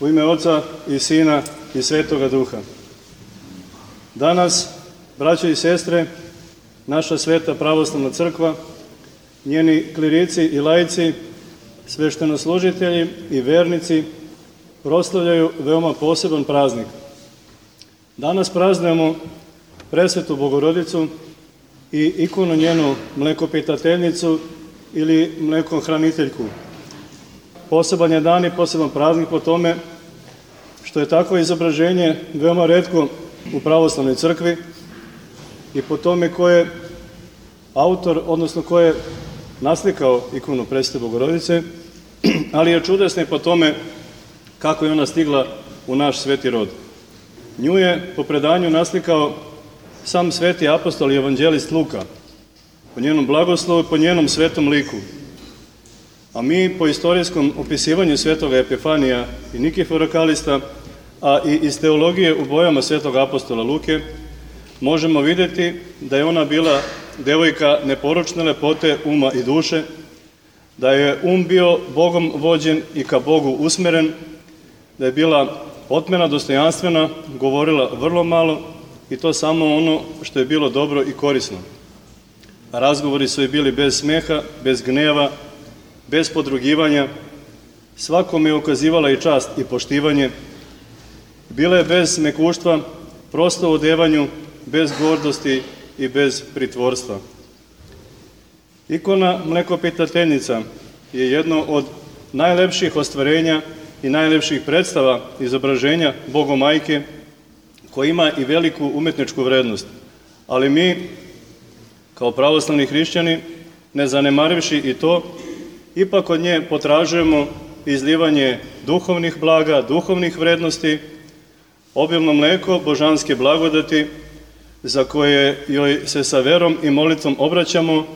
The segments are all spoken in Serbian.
U ime Oca i Sina i Svetoga Duha. Danas, braćo i sestre, naša sveta pravoslavna crkva, njeni klirici i laici, sveštenoslужitelji i vernici proslavljaju veoma poseban praznik. Danas praznujemo Presvetu Bogorodicu i ikonu njenu Mlekopitateljnicu ili Mlekohraniteljku. Poseban je dan i poseban praznik po tome što je takvo izobraženje veoma retko u pravoslavnoj crkvi i po tome ko je autor, odnosno ko je naslikao ikonu Presvete Bogorodice, ali je čudesna i po tome kako je ona stigla u naš sveti rod. Nju je po predanju naslikao sam sveti apostol i evanđelist Luka, po njenom blagoslovu i po njenom svetom liku. A mi po istorijskom opisivanju svetoga Epifanija i Nikifora Kalista, a i iz teologije u bojama svetog apostola Luke, možemo vidjeti da je ona bila devojka neporočne lepote uma i duše, da je bio Bogom vođen i ka Bogu usmeren, da je bila otmena, dostojanstvena, govorila vrlo malo i to samo ono što je bilo dobro i korisno. Razgovori su joj bili bez smeha, bez gneva, bez podrugivanja, svakome je ukazivala i čast i poštivanje. Bila je bez mekuštva, prosto u odevanju, bez gordosti i bez pritvorstva. Ikona Mlekopitateljnica je jedno od najlepših ostvarenja i najlepših predstava izobraženja Bogomajke, koja ima i veliku umetničku vrednost. Ali mi, kao pravoslavni hrišćani, ne zanemarivši i to, ipak od nje potražujemo izlivanje duhovnih blaga, duhovnih vrednosti, obilno mleko božanske blagodati, za koje joj se sa verom i molitvom obraćamo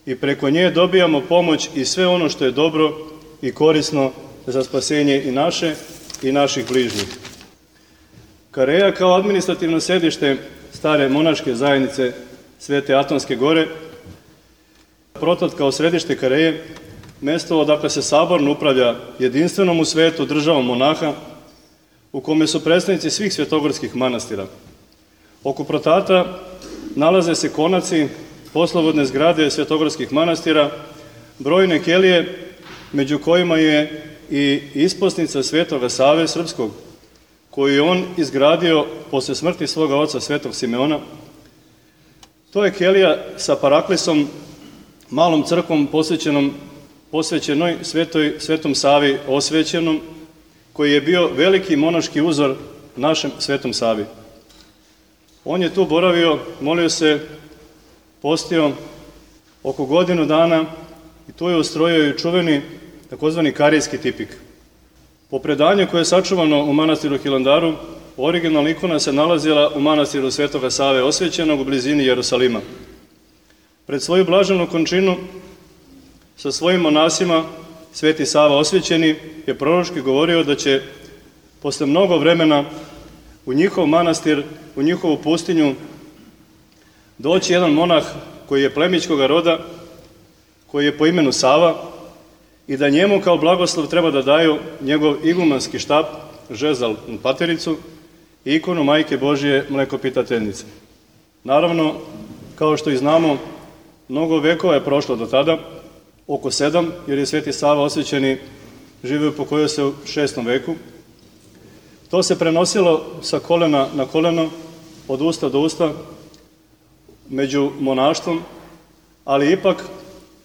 i preko nje dobijamo pomoć i sve ono što je dobro i korisno za spasenje i naše i naših bližnjih. Kareja kao administrativno sedište stare monaške zajednice Svete Atonske gore, Protot kao središte Kareje, mesto odakle se saborno upravlja jedinstvenom u svetu državom monaha, u kome su predstavnici svih svetogorskih manastira. Oko Protata nalaze se konaci, poslovodne zgrade svetogorskih manastira, brojne kelije, među kojima je i isposnica Svetoga Save Srpskog, koju je on izgradio posle smrti svoga oca Svetog Simeona. To je kelija sa paraklisom, malom crkvom posvećenoj Svetom Savi osvećenom, koji je bio veliki monaški uzor našem Svetom Savi. On je tu boravio, molio se, postio oko godinu dana i tu je ustrojio i čuveni takozvani karijski tipik. Po predanju koje je sačuvano u manastiru Hilandaru, originalna ikona se nalazila u manastiru Svetoga Save osvećenog u blizini Jerusalima. Pred svoju blaženu končinu sa svojim monasima Sveti Sava osvećeni je proročki govorio da će posle mnogo vremena u njihov manastir, u njihovu pustinju doći jedan monah koji je plemićkoga roda, koji je po imenu Sava, i da njemu kao blagoslov treba da daju njegov igumanski štap, žezal na patericu i ikonu Majke Božije Mlekopitateljnice. Naravno, kao što i znamo, mnogo vekova je prošlo do tada, oko 7, jer je Sveti Sava osvećeni živio pokojio se u 6. veku. To se prenosilo sa kolena na koleno, od usta do usta, među monaštvom, ali ipak,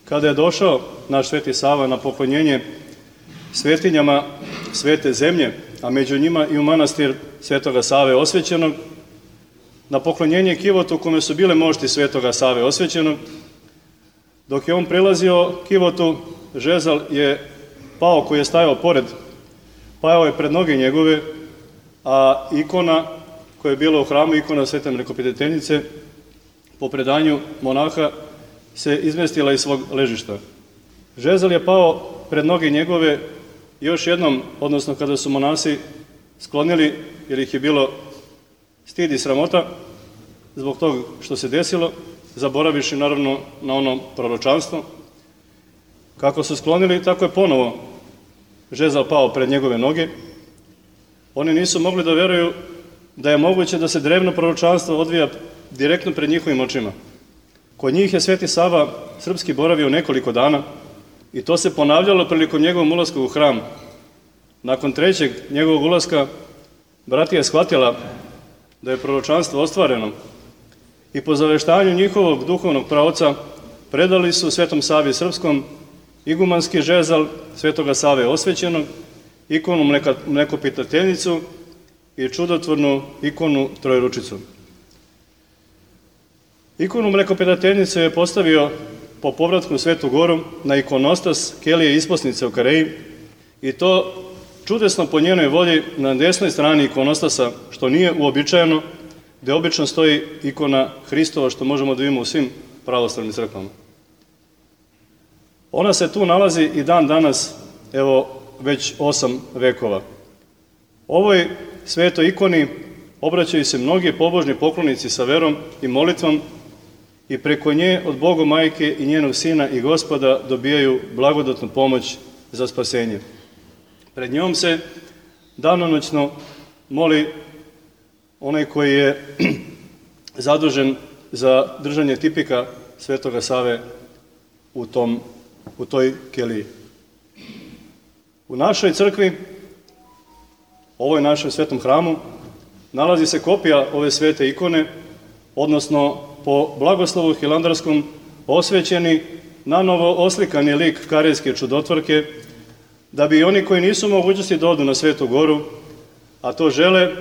kada je došao naš Sveti Sava na poklonjenje svetinjama svete zemlje, a među njima i u manastir Svetoga Save osvećenog, na poklonjenje kivotu u kome su bile mošti Svetoga Save osvećenog, dok je on prilazio kivotu, žezal je pao koji je stajao pored, pao je pred noge njegove, a ikona koja je bila u hramu, ikona Svete Mlekopitateljnice, po predanju monaha, se izmestila iz svog ležišta. Žezal je pao pred noge njegove još jednom, odnosno kada su monasi sklonili, jer ih je bilo stid i sramota zbog toga što se desilo, zaboraviši naravno na ono proročanstvo. Kako su sklonili, tako je ponovo žezal pao pred njegove noge Oni nisu mogli da veruju da je moguće da se drevno proročanstvo odvija direktno pred njihovim očima. Kod njih je Sveti Sava srpski boravio nekoliko dana i to se ponavljalo prilikom njegovog ulaska u hram. Nakon trećeg njegovog ulaska bratija je shvatila da je proročanstvo ostvareno i po zaveštanju njihovog duhovnog praoca predali su Svetom Savi Srpskom igumanski žezal Svetoga Save osvećenog, ikonu Mlekopitateljicu i čudotvornu ikonu Trojeručicu. Ikonu Mlekopitateljice je postavio po povratku u Svetu Goru na ikonostas kelije isposnice u Kareji i to čudesno po njenoj volji na desnoj strani ikonostasa, što nije uobičajeno, gde obično stoji ikona Hristova, što možemo da vidimo u svim pravoslavnim crkvama. Ona se tu nalazi i dan danas, evo, već 8 vekova. Ovoj svetoj ikoni obraćaju se mnogi pobožni poklonici sa verom i molitvom i preko nje od Boga Majke i njenog Sina i Gospoda dobijaju blagodatnu pomoć za spasenje. Pred njom se danonoćno moli onaj koji je zadužen za držanje tipika Svetoga Save u toj keliji. U našoj crkvi, ovoj našem svetom hramu, nalazi se kopija ove svete ikone, odnosno po blagoslovu hilandarskom osvećeni, nanovo oslikani lik Karejske čudotvorke, da bi oni koji nisu mogućnosti da odu na Svetu Goru, a to žele,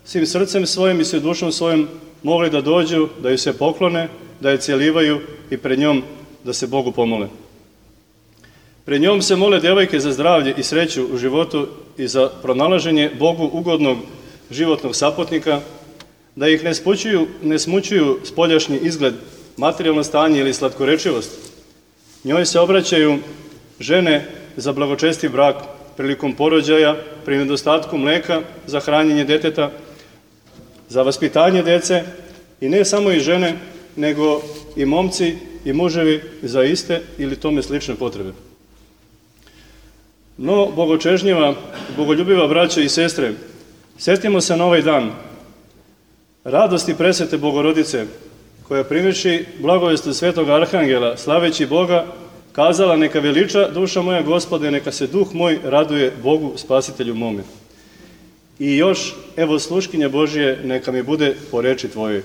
svim srcem svojim i svim dušom svojim mogli da dođu, da ju se poklone, da je celivaju i pred njom da se Bogu pomole. Pred njom se mole devojke za zdravlje i sreću u životu i za pronalaženje Bogu ugodnog životnog saputnika, da ih ne smućuju spoljašnji izgled, materijalno stanje ili slatkorečivost. Njoj se obraćaju žene za blagočesti brak prilikom porođaja, pri nedostatku mleka za hranjenje deteta, za vaspitanje dece i ne samo i žene, nego i momci i muževi za iste ili tome slične potrebe. No, bogočežnjiva, bogoljubiva braćo i sestre, setimo se na ovaj dan radosti presvete Bogorodice, koja primiši blagovestu Svetog Arhangela, slaveći Boga, kazala: neka veliča duša moja Gospode, neka se duh moj raduje Bogu Spasitelju mome. I još, evo sluškinja Božije, neka mi bude po reči Tvojoj.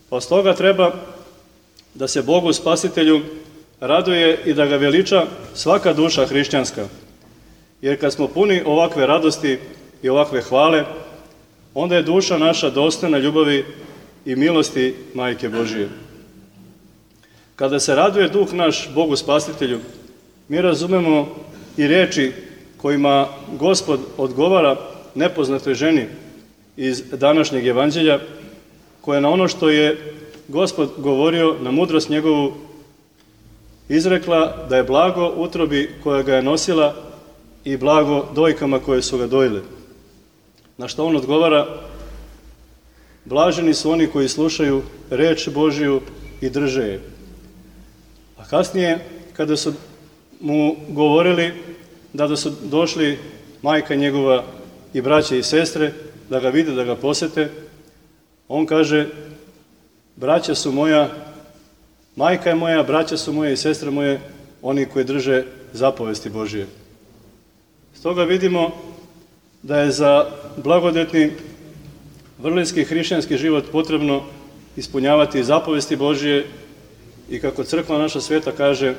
Pa stoga treba da se Bogu Spasitelju raduje i da ga veliča svaka duša hrišćanska. Jer kad smo puni ovakve radosti i ovakve hvale, onda je duša naša dostojna ljubavi i milosti Majke Božije. Kada se raduje duh naš Bogu Spasitelju, mi razumemo i reči kojima Gospod odgovara nepoznatoj ženi iz današnjeg evanđelja, koja na ono što je Gospod govorio, na mudrost njegovu, izrekla da je blago utrobi koja ga je nosila i blago dojkama koje su ga dojile. Na što on odgovara: blaženi su oni koji slušaju reč Božiju i drže je. A kasnije, kada su mu govorili da su došli majka njegova i braće i sestre, da ga vide, da ga posete, on kaže: braća su moja, majka je moja, braća su moje i sestre moje, oni koji drže zapovesti Božije. Stoga vidimo da je za blagodetni vrlinski hrišćanski život potrebno ispunjavati zapovesti Božije i, kako crkva naša sveta kaže,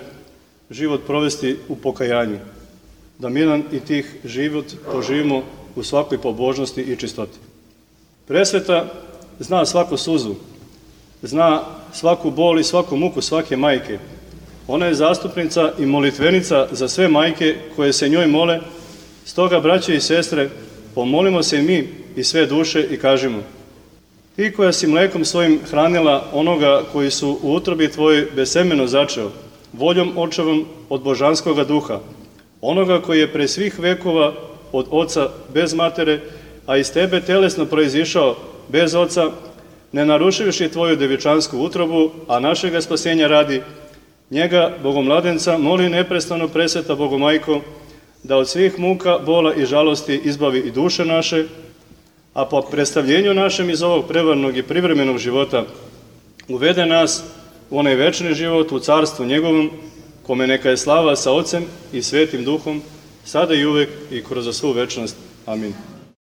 život provesti u pokajanju, da miran i tih život poživimo u svakoj pobožnosti i čistoti. Presveta zna svaku suzu, zna svaku bol i svaku muku svake majke. Ona je zastupnica i molitvenica za sve majke koje se njoj mole. Stoga, braće i sestre, pomolimo se i mi i sve duše i kažimo: ti koja si mlekom svojim hranila onoga koji su u utrobi tvojoj besemeno začeo, voljom očevom od božanskoga duha, onoga koji je pre svih vekova od oca bez matere, a iz tebe telesno proizišao bez oca, ne narušivši tvoju devičansku utrobu, a našega spasenja radi, njega, Bogomladenca, moli neprestano, presveta Bogomajko, da od svih muka, bola i žalosti izbavi i duše naše, a po predstavljenju našem iz ovog prevarnog i privremenog života uvede nas u onaj večni život, u carstvu njegovom, kome neka je slava sa Ocem i Svetim Duhom, sada i uvek i kroz svu večnost. Amin.